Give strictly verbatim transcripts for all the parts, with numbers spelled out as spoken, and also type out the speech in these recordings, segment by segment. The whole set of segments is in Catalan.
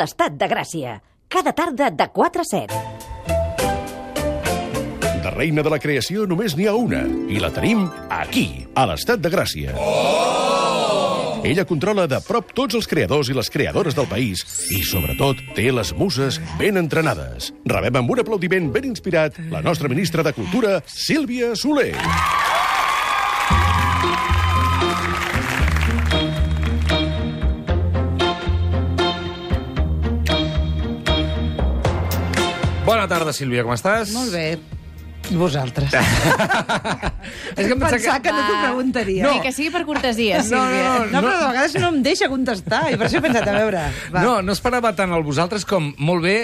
l'Estat de Gràcia. Cada tarda de quatre a set. De reina de la creació només n'hi ha una, i la tenim aquí, a l'Estat de Gràcia. Oh! Ella controla de prop tots els creadors i les creadores del país i, sobretot, té les muses ben entrenades. Rebem amb un aplaudiment ben inspirat la nostra ministra de Cultura, Sílvia Soler. Bona tarda, Sílvia, com estàs? Molt bé. Vosaltres. És que em pensava que no t'ho preguntaria. No. Ni que sigui per cortesia, Sílvia. No, no, no, però de vegades no em deixa contestar, i per això he pensat, a veure... Va. No, no esperava tant el vosaltres com, molt bé,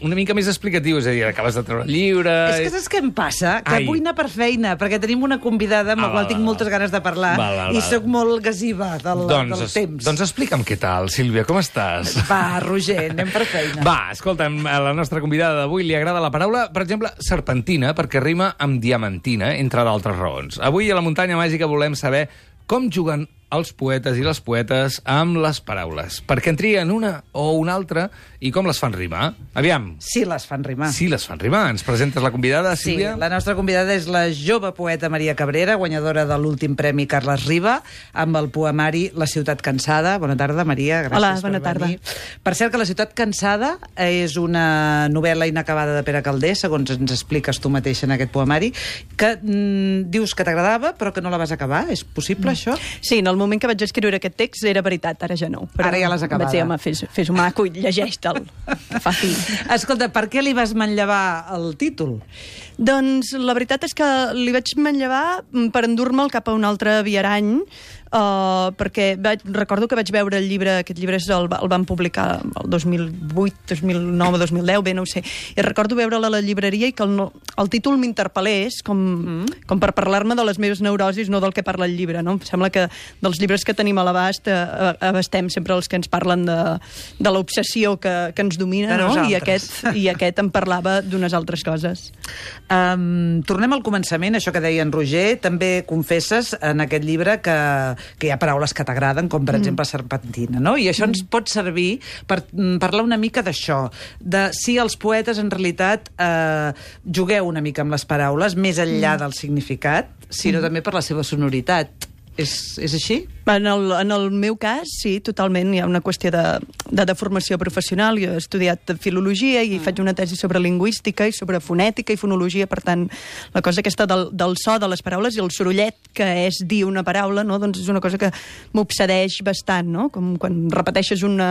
una mica més explicatiu, és a dir, acabes de treure el llibre... És que saps què em passa? Que Ai. vull anar per feina, perquè tenim una convidada amb Ah, la qual val, tinc val, moltes ganes de parlar, val, val, i val. sóc molt gasiva del, doncs, del temps. Doncs explica'm què tal, Sílvia, com estàs? Va, Roger, anem per feina. Va, escolta'm, a la nostra convidada d'avui li agrada la paraula, per exemple, serpentina, perquè rima amb diamantina, entre d'altres raons. Avui a la Muntanya Màgica volem saber com juguen els poetes i les poetes amb les paraules. Per què en trien una o una altra i com les fan rimar? Aviam. Sí, les fan rimar. Sí, les fan rimar. Ens presentes la convidada, Sí, Sílvia? la nostra convidada és la jove poeta Maria Cabrera, guanyadora de l'últim Premi Carles Riba, amb el poemari La ciutat cansada. Bona tarda, Maria, gràcies Hola, per bona tarda. venir. Per cert, que La ciutat cansada és una novel·la inacabada de Pere Calders, segons ens expliques tu mateixa en aquest poemari, que mm, dius que t'agradava, però que no la vas acabar. És possible, mm. això? Sí, en el moment que vaig escriure aquest text era veritat, ara ja no. Però Ara ja l'has acabada. Vaig dir, home, fes, fes un maco i llegeix-te'l. Fa fi. Escolta, per què li vas manllevar el títol? Doncs la veritat és que li vaig manllevar per endur-me'l cap a un altre viarany, uh, perquè vaig, recordo que vaig veure el llibre, aquest llibre és el, el van publicar el dos mil vuit, dos mil nou, dos mil deu, bé, no ho sé, i recordo veure'l a la llibreria i que el, el títol m'interpel·lés com, mm. com per parlar-me de les meves neurosis, no del que parla el llibre, no? Em sembla que dels llibres que tenim a l'abast eh, abastem sempre els que ens parlen de, de l'obsessió que, que ens domina, no? I aquest, I aquest em parlava d'unes altres coses. Um, tornem al començament, això que deia en Roger. També confesses en aquest llibre que, que hi ha paraules que t'agraden, com per mm. exemple serpentina, no? I això mm. ens pot servir per mm, parlar una mica d'això, de si els poetes en realitat eh, jugueu una mica amb les paraules, més enllà mm. del significat, sinó mm. també per la seva sonoritat. És, és així? En el, en el meu cas, sí, totalment. Hi ha una qüestió de, de, de formació professional. Jo he estudiat filologia i mm. faig una tesi sobre lingüística i sobre fonètica i fonologia. Per tant, la cosa aquesta del, del so de les paraules i el sorollet que és dir una paraula, no? Doncs és una cosa que m'obsedeix bastant, no? Com quan repeteixes una,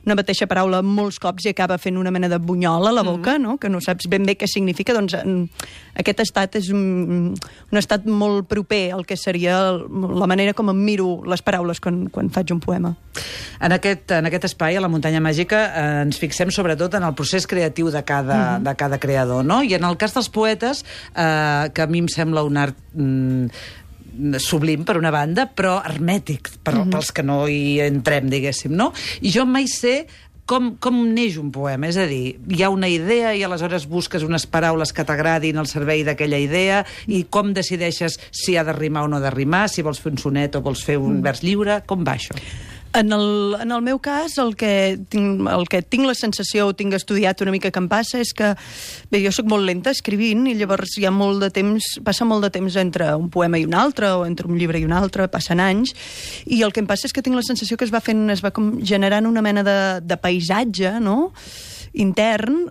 una mateixa paraula molts cops i acaba fent una mena de bunyol a la boca, mm. no? Que no saps ben bé què significa. Doncs en, aquest estat és un, un estat molt proper al que seria el, la manera com em miro les paraules quan, quan faig un poema. En aquest, en aquest espai, a la Muntanya Màgica, eh, ens fixem sobretot en el procés creatiu de cada, mm. de cada creador, no? I en el cas dels poetes, eh, que a mi em sembla un art mm, sublim, per una banda, però hermètic, per, mm-hmm. pels que no hi entrem, diguéssim, no? I jo mai sé Com, com neix un poema? És a dir, hi ha una idea i aleshores busques unes paraules que t'agradin al servei d'aquella idea i com decideixes si ha de rimar o no ha de rimar, si vols fer un sonet o vols fer un vers lliure, com va això? En el, en el meu cas, el que, tinc, el que tinc la sensació, o tinc estudiat una mica que em passa, és que, bé, jo sóc molt lenta escrivint i llavors hi ha molt de temps, passa molt de temps entre un poema i un altre, o entre un llibre i un altre, passen anys, i el que em passa és que tinc la sensació que es va fent, es va com generant una mena de, de paisatge, no?, intern,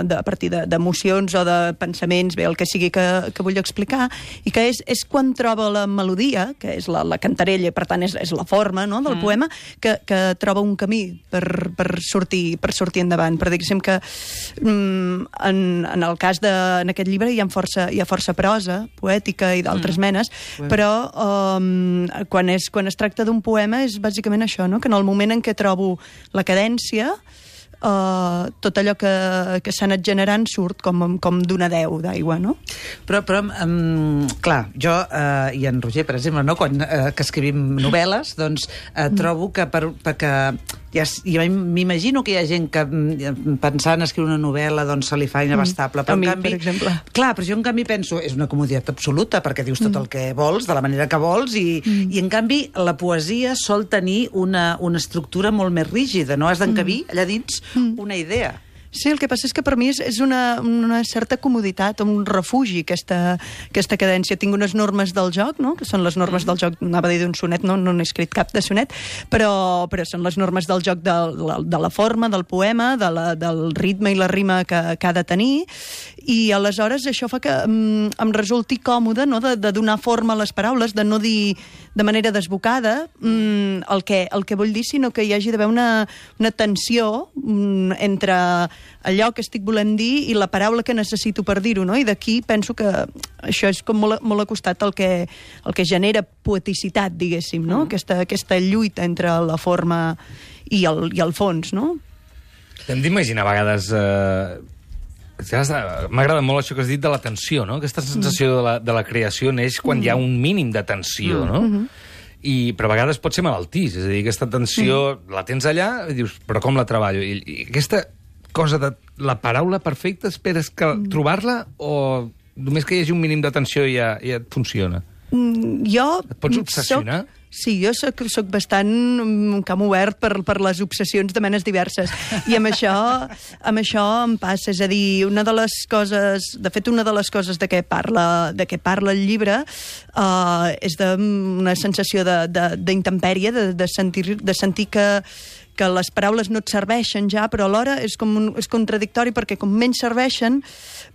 de, a partir d'emocions de, o de pensaments, bé, el que sigui que, que vull explicar, i que és, és quan troba la melodia, que és la, la cantarella, per tant és, és la forma, no?, del mm. poema, que, que troba un camí per, per, sortir, per sortir endavant. Per diguéssim que mm, en, en el cas de, en aquest llibre hi ha força, hi ha força prosa poètica i d'altres mm. menes, mm. però um, quan, és, quan es tracta d'un poema és bàsicament això, no?, que en el moment en què trobo la cadència uh, tot allò que, que s'ha anat generant surt com, com d'una deu d'aigua, no? Però, però um, clar, jo uh, i en Roger, per exemple, no? Quan uh, que escrivim novel·les, doncs uh, trobo que per, perquè ja, ja m'imagino que hi ha gent que pensant en escriure una novel·la doncs se li fa inabastable. Però a mi, en canvi, per exemple. Clar, però jo en canvi penso, és una comoditat absoluta, perquè dius tot mm. el que vols, de la manera que vols, i, mm. i en canvi la poesia sol tenir una, una estructura molt més rígida, no? Has d'encabir mm. allà dins mm. una idea. Sí, el que passa és que per mi és, és una, una certa comoditat, un refugi, aquesta, aquesta cadència. Tinc unes normes del joc, no? Que són les normes del joc, anava a dir d'un sonet, no, no n'he escrit cap de sonet, però, però són les normes del joc de, de, de la forma, del poema, de la, del ritme i la rima que, que ha de tenir, i aleshores això fa que um, em resulti còmode, no? de, de donar forma a les paraules, de no dir de manera desbocada um, el, que, el que vull dir, sinó que hi hagi d'haver una, una tensió um, entre allò que estic volent dir i la paraula que necessito per dir-ho, no? I d'aquí penso que això és com molt, molt acostat al que, el que genera poeticitat, diguéssim, no? Mm. Aquesta, aquesta lluita entre la forma i el, i el fons, no? Hem d'imaginar a vegades... Eh... M'agrada molt això que has dit de la tensió, no? Aquesta sensació mm. de, la, de la creació neix quan mm. hi ha un mínim de tensió, mm. no? Mm-hmm. I, però a vegades pot ser malaltís, és a dir, aquesta tensió mm. la tens allà i dius, però com la treballo? I, i aquesta cosa de la paraula perfecta, esperes que mm. trobar-la o només que hi hagi un mínim de tensió ja, ja et funciona? Mm, jo... Et pots obsessionar? Soc... Sí, jo soc, soc bastant um, camp obert per, per les obsessions de menes diverses. I amb això, amb això em passa. És a dir, una de les coses... De fet, una de les coses de què parla, de què parla el llibre uh, és d'una sensació d'intempèrie, de, de, de, sentir, de sentir que que les paraules no et serveixen ja, però alhora és, com un, és contradictori perquè com menys serveixen,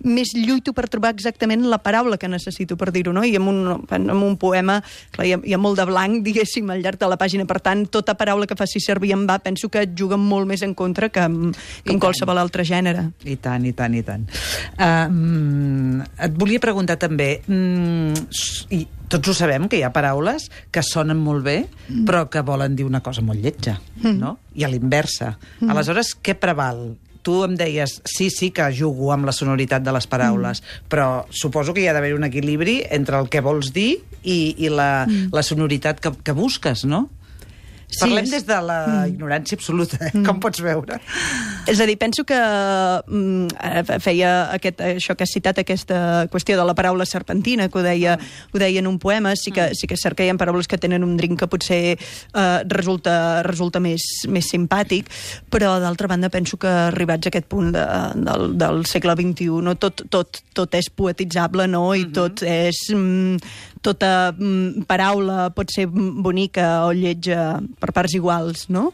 més lluito per trobar exactament la paraula que necessito per dir-ho, no? I amb un, amb un poema, clar, hi ha, hi ha molt de blanc, diguéssim, al llarg de la pàgina, per tant, tota paraula que faci servir en va, penso que et juga molt més en contra que amb, que amb qualsevol altre gènere. I tant, i tant, i tant. Uh, et volia preguntar també, mm, i tots ho sabem, que hi ha paraules que sonen molt bé, mm. però que volen dir una cosa molt lletja, mm. no? I a l'inversa. Mm. Aleshores, què preval? Tu em deies, sí, sí que jugo amb la sonoritat de les paraules, mm. però suposo que hi ha d'haver un equilibri entre el que vols dir i, i la, mm. la sonoritat que, que busques, no? Sí, Parlem és... des de la mm. ignorància absoluta, eh? mm. com pots veure. És a dir, penso que mm, feia aquest, això que has citat, aquesta qüestió de la paraula serpentina, que ho deia, mm. ho deia en un poema, sí que, mm. sí que és cert que hi ha paraules que tenen un drink que potser eh, resulta, resulta més, més simpàtic, però d'altra banda penso que arribats a aquest punt de, del, del segle vint-i-u, no? tot, tot, tot és poetitzable, no? I mm-hmm. tot és... Mm, tota mm, paraula pot ser bonica o lletja per parts iguals, no?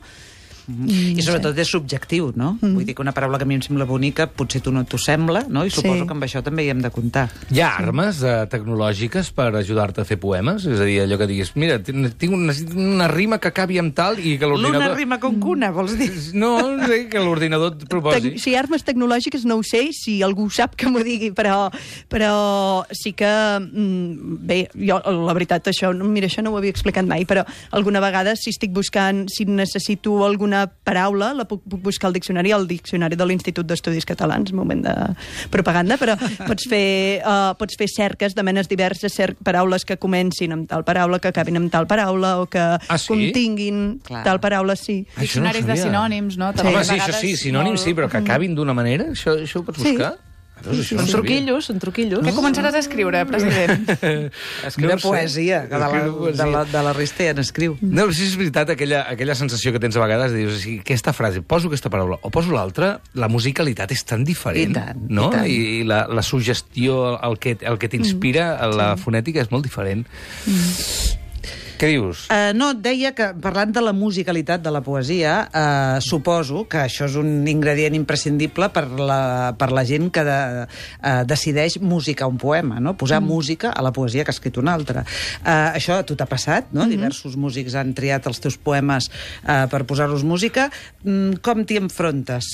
Mm-hmm. I sobretot és subjectiu, no? Mm. Vull dir que una paraula que a mi em sembla bonica potser tu no t'ho sembla, no? I suposo sí. que amb això també hi hem de comptar. Hi ha armes eh, tecnològiques per ajudar-te a fer poemes? És a dir, allò que diguis, mira, tinc una, una rima que acabi amb tal i que l'ordinador... L'una rima con cuna, vols dir? No, no sé, que l'ordinador et proposi. Tec si armes tecnològiques no ho sé, si algú sap que m'ho digui, però, però sí que... Mm, bé, jo, la veritat, això, mira, això no ho havia explicat mai, però alguna vegada si estic buscant, si necessito alguna paraula, la puc, puc buscar al diccionari, al diccionari de l'Institut d'Estudis Catalans, moment de propaganda, però pots fer, uh, pots fer cerques de menes diverses, cer paraules que comencin amb tal paraula, que acabin amb tal paraula, o que ah, sí? continguin Clar. tal paraula, sí. Diccionaris no de sinònims, no? Home, sí, això sí, sinònims sí, però que acabin d'una manera, això, això ho pots buscar? Sí. Doncs són truquillos, són truquillos. Què començaràs a escriure, president? Escriure poesia, que de la, de la, de la resta ja n'escriu. No, si és veritat, aquella, aquella sensació que tens a vegades de dir, o sigui, aquesta frase, poso aquesta paraula o poso l'altra, la musicalitat és tan diferent, I tant, no? I, tant. I, i la, la suggestió, el que, el que t'inspira, mm. la sí. fonètica és molt diferent. Mm. Què dius? Uh, no, deia que, parlant de la musicalitat de la poesia, uh, suposo que això és un ingredient imprescindible per la, per la gent que de, uh, decideix musicar un poema, no? Posar mm. música a la poesia que ha escrit una altra. Uh, això a tu t'ha passat, no? Mm-hmm. Diversos músics han triat els teus poemes uh, per posar-los música. Mm, com t'hi enfrontes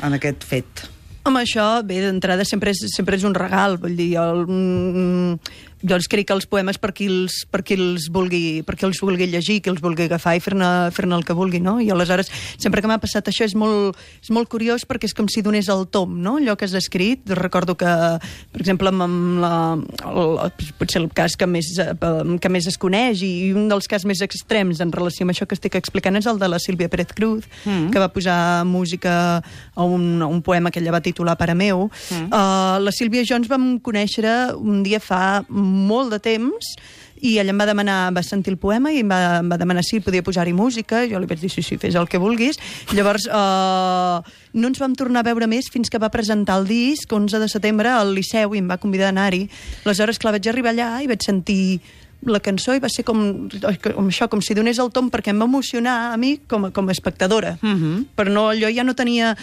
en aquest fet? Home, això, bé, d'entrada sempre és, sempre és un regal, vull dir, el, mm, jo els escric els poemes per qui els, per qui els, vulgui, per qui els vulgui llegir, qui els vulgui agafar i fer-ne fer-ne el que vulgui, no? I aleshores, sempre que m'ha passat això és molt, és molt curiós perquè és com si donés el tom, no? Allò que has escrit. Recordo que, per exemple, amb la, el, potser el cas que més, que més es coneix i un dels casos més extrems en relació amb això que estic explicant és el de la Sílvia Pérez Cruz, mm. que va posar música a un, a un poema que ella va titular Pare meu. Mm. Uh, la Sílvia i jo ens vam conèixer un dia fa molt de temps i ella em va demanar, va sentir el poema i em va, em va demanar si podia posar-hi música. Jo li vaig dir, sí, sí, fes el que vulguis. Llavors, uh, no ens vam tornar a veure més fins que va presentar el disc, onze de setembre, al Liceu, i em va convidar a anar-hi. Aleshores, clar, vaig arribar allà i vaig sentir la cançó i va ser com, com això, com si donés el tom, perquè em va emocionar a mi com a, com a espectadora. Uh-huh. Però no, allò ja no tenia...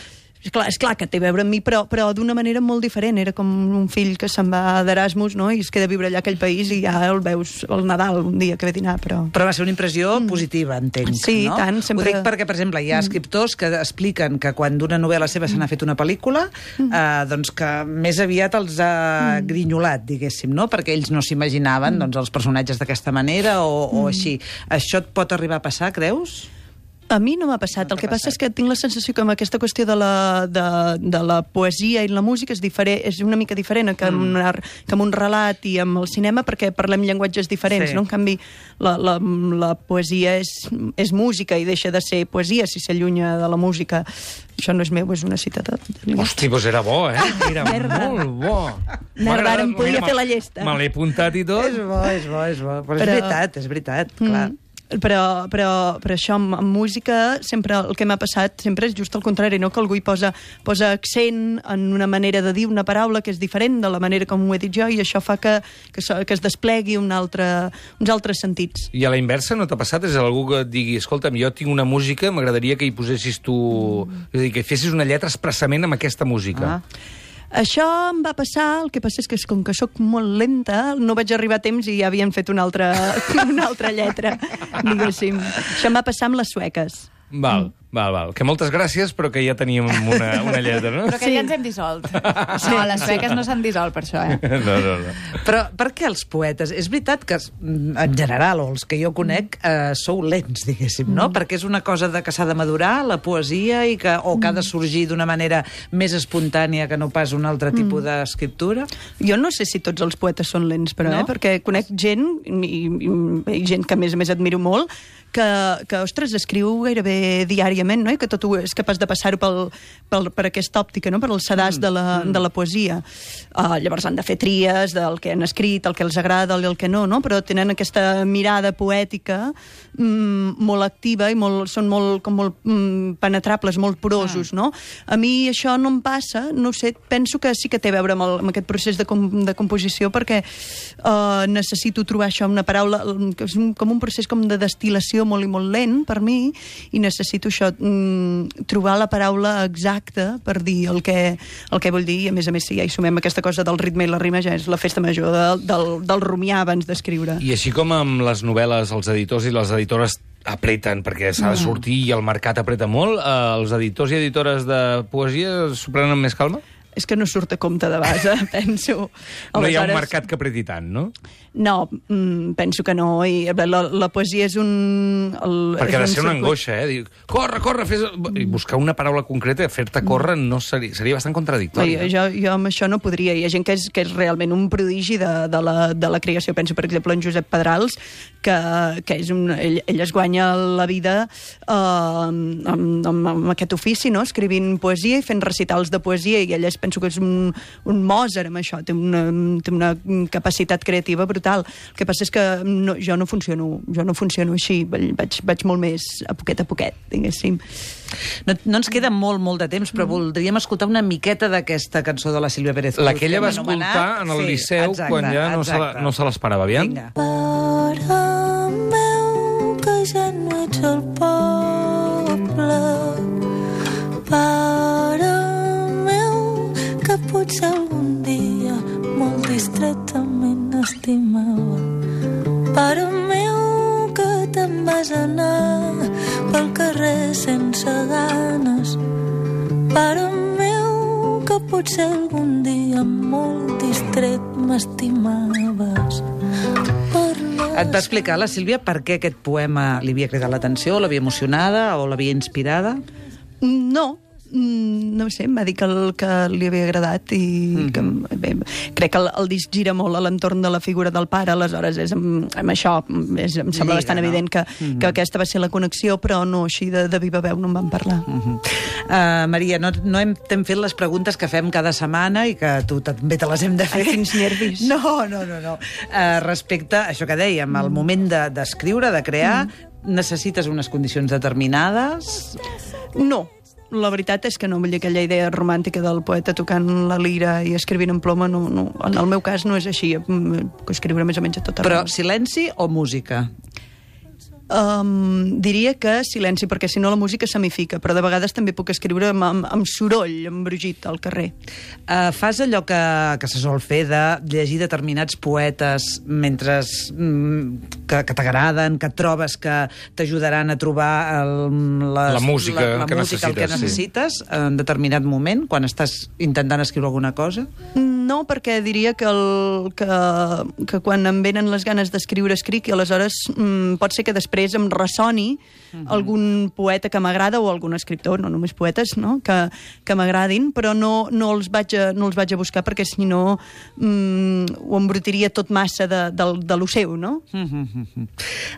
És clar, és clar que té a veure amb mi, però, però d'una manera molt diferent. Era com un fill que se'n va d'Erasmus, no?, i es queda a viure allà a aquell país i ja el veus al Nadal un dia que ve a dinar, però... Però va ser una impressió mm. positiva, entenc, sí, no? tant, sempre... Ho dic perquè, per exemple, hi ha escriptors que expliquen que quan d'una novel·la seva se n'ha fet una pel·lícula, mm. eh, doncs que més aviat els ha mm. grinyolat, diguéssim, no?, perquè ells no s'imaginaven mm. doncs, els personatges d'aquesta manera o, mm. o així. Això et pot arribar a passar, creus? A mi no m'ha passat. No el que passa és que tinc la sensació que amb aquesta qüestió de la, de, de la poesia i la música és, diferent, és una mica diferent que, mm. amb una, que amb un relat i amb el cinema, perquè parlem llenguatges diferents, sí. no? En canvi, la, la, la poesia és, és música i deixa de ser poesia si s'allunya de la música. Això no és meu, és una cita de... Hosti, doncs era bo, eh? Era molt bo. Merda, ara em podia fer la llesta. Me l'he apuntat i tot. És bo, és bo, és bo. Però, Però... és veritat, és veritat, clar. Mm. Però, però, però això, amb, amb música, sempre el que m'ha passat sempre és just el contrari, no? Que algú hi posa, posa accent en una manera de dir una paraula que és diferent de la manera com ho he dit jo, i això fa que, que, que es desplegui un altre, uns altres sentits. I a la inversa no t'ha passat? És algú que et digui, escolta'm, jo tinc una música, m'agradaria que hi posessis tu... Mm. És a dir, que fessis una lletra expressament amb aquesta música. Ah. Això em va passar, el que passa és que com que sóc molt lenta, no vaig arribar a temps i ja havien fet una altra, una altra lletra, diguéssim. Això em va passar amb les sueques. Val, mm. val, val. Que moltes gràcies, però que ja teníem una, una lletra, no? Però que sí. ja ens hem dissolt. Sí, no, les sueques sí. no s'han dissolt per això, eh? No, no, no. Però per què els poetes? És veritat que, en general, o els que jo conec, eh, sou lents, diguéssim, no? Mm. Perquè és una cosa de que s'ha de madurar, la poesia, i que, o que ha de sorgir d'una manera més espontània que no pas un altre tipus mm. d'escriptura? Jo no sé si tots els poetes són lents, però, no? eh? Perquè conec gent, i, i, i gent que a més a més admiro molt, que, que, ostres, escriu gairebé diàriament, no? I que tot ho és capaç de passar-ho pel, pel, per aquesta òptica, no? Per el sedàs mm. de, la, de la poesia. Uh, llavors han de fer tries del que han escrit, el que els agrada i el que no, no? Però tenen aquesta mirada poètica mm, molt activa i molt, són molt, com molt mm, penetrables, molt porosos, ah. no? A mi això no em passa, no sé, penso que sí que té a veure amb, el, amb aquest procés de, com, de composició, perquè uh, necessito trobar això, una paraula, que és un, com un procés com de destil·lació molt i molt lent per mi, i necessito això, mm, trobar la paraula exacta per dir el que, el que vull dir, i a més a més si ja hi sumem aquesta cosa del ritme i la rima, ja és la festa major de, del, del rumiar abans d'escriure. I així com amb les novel·les, els editors i les editores apreten, perquè s'ha de sortir i el mercat apreta molt, eh, els editors i editores de poesia s'ho prenen amb més calma? És que no surt a compte de base, penso. Aleshores... No hi ha un mercat que apreti tant, no? No, mm, penso que no. I la, la poesia és un... El, Perquè és ha de un ser una circuit. angoixa, eh? Dir, corre, corre, fes... I buscar una paraula concreta, fer-te córrer, no seria, seria bastant contradictori. No, jo, jo amb això no podria. Hi ha gent que és, que és realment un prodigi de, de, la, de la creació. Penso, per exemple, en Josep Pedrals, que, que és un, ell, ell es guanya la vida eh, amb, amb, amb aquest ofici, no? Escrivint poesia i fent recitals de poesia, i ell és, penso que és un, un Mozart amb això, té una, té una capacitat creativa brutal. El que passa és que no, jo no funciono jo no funciono així, vaig, vaig molt més a poquet a poquet, diguéssim. No, no ens queda molt, molt de temps, però mm. voldríem escoltar una miqueta d'aquesta cançó de la Sílvia Pérez Cruz. La que ella va escoltar en el sí, Liceu, exacte, quan ja no se, la, no se l'esperava. Aviam. Vinga. Pare meu, que ja no ets al poble, pare que potser algun dia molt distretament estimava. Pare meu, que te'n vas anar pel carrer sense ganes. Pare meu, que potser algun dia molt distret m'estimaves. Et va explicar la Sílvia per què aquest poema li havia cridat l'atenció, l'havia emocionada o l'havia inspirada? No, no ho sé, em va dir que, el, que li havia agradat i mm-hmm. que, bé, crec que el, el disc gira molt a l'entorn de la figura del pare, aleshores és amb, amb això és, em sembla Lliga, bastant no? evident que, mm-hmm. que aquesta va ser la connexió, però no, així de, de viva veu no en vam parlar. Mm-hmm. uh, Maria, no, no hem, hem fet les preguntes que fem cada setmana i que tu també te les hem de fer. Ai, quins nervis. No, no, no. no. Uh, respecte a això que dèiem, al moment d'escriure, de, de crear, mm. necessites unes condicions determinades? No. La veritat és que no, vull dir, aquella idea romàntica del poeta tocant la lira i escrivint en ploma, no, no, en el meu cas no és així, puc escriure més o menys a tot arreu. Però silenci o música? Um, diria que silenci, perquè si no la música semifica, però de vegades també puc escriure amb, amb, amb soroll, amb brugit al carrer. Uh, fas allò que, que se sol fer de llegir determinats poetes mentre mm, que, que t'agraden, que trobes que t'ajudaran a trobar el, les, la música, la, la que, música necessites, el que necessites sí. en determinat moment, quan estàs intentant escriure alguna cosa? No, perquè diria que, el, que, que quan em venen les ganes d'escriure, escric, i aleshores mm, pot ser que després em ressoni uh-huh. algun poeta que m'agrada o algun escriptor, no només poetes, no? que, que m'agradin, però no, no, els vaig a, no els vaig a buscar perquè si no mm, ho embrutiria tot massa de, de, de lo seu, no? Uh-huh.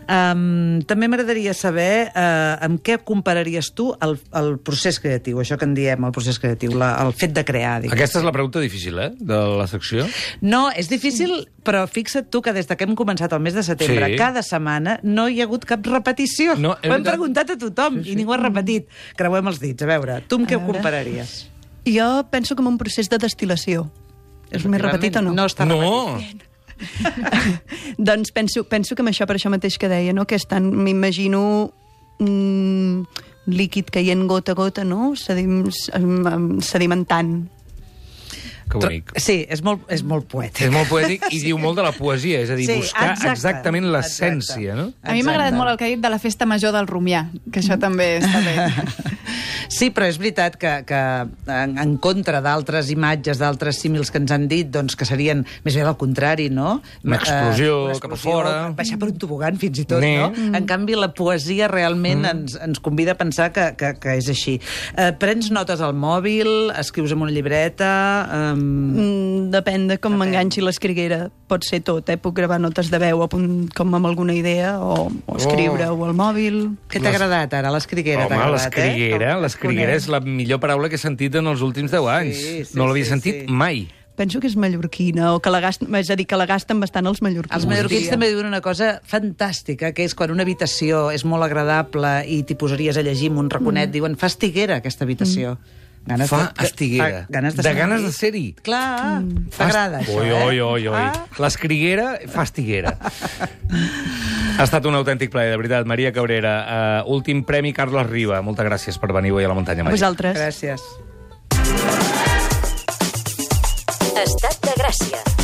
Um, també m'agradaria saber uh, amb què compararies tu el, el procés creatiu, això que en diem, el procés creatiu, la, el fet de crear. Diguem. Aquesta és la pregunta difícil, eh?, de la secció. No, és difícil, però fixa't tu que des que hem començat el mes de setembre, sí. cada setmana no hi ha hagut cap repetició. No, ho hem preguntat a tothom sí, sí. i ningú ha repetit. Creuem els dits. A veure, tu amb què ho compararies? Jo penso com un procés de destil·lació. És més repetit o no? No està no. repetit. Doncs penso, penso que amb això, per això mateix que deia, no? Que estan, m'imagino mm, líquid caient gota a gota, no? Sedim, sedimentant. Que bonic. Sí, és molt, és molt poètic. És molt poètic i diu molt de la poesia, és a dir, sí, buscar exacte, exactament l'essència, no? A mi m'ha agradat molt el que ha dit de la festa major del Romià, que això també està bé. Sí, però és veritat que, que en, en contra d'altres imatges, d'altres símils que ens han dit, doncs que serien més bé al contrari, no? Una explosió, uh, una explosió cap a fora. Baixar per un tobogan, fins i tot, nee. no? Mm. En canvi, la poesia realment mm. ens, ens convida a pensar que, que, que és així. Uh, prens notes al mòbil, escrius en una llibreta... Um... Mm, depèn de com m'enganxi l'escriguera. Pot ser tot, eh? Puc gravar notes de veu a punt, com amb alguna idea, o, o escriure-ho oh. al mòbil. Què t'ha agradat ara, l'escriguera? Home, l'escriguera, eh? l'escriguera és la millor paraula que he sentit en els últims deu anys. Sí, sí, no l'havia sí, sentit sí. mai. Penso que és mallorquina, o que la gasten, és a dir, que la gasten bastant els mallorquins. Els mallorquins també diuen una cosa fantàstica, que és quan una habitació és molt agradable i t'hi posaries a llegir amb un raconet, mm. diuen, fa estiguera aquesta habitació. Mm. Ganes fa de, estiguera. Fa ganes de, de ganes de ser-hi. Clar, mm. t'agrada això, oi, eh? Oi, oi, oi. Ah. L'escriguera fa estiguera. Ha estat un autèntic plaer, de veritat. Maria Cabrera, uh, últim premi Carles Riba. Moltes gràcies per venir avui a la Muntanya Màgica. A vosaltres. Gràcies. Estat de Gràcia.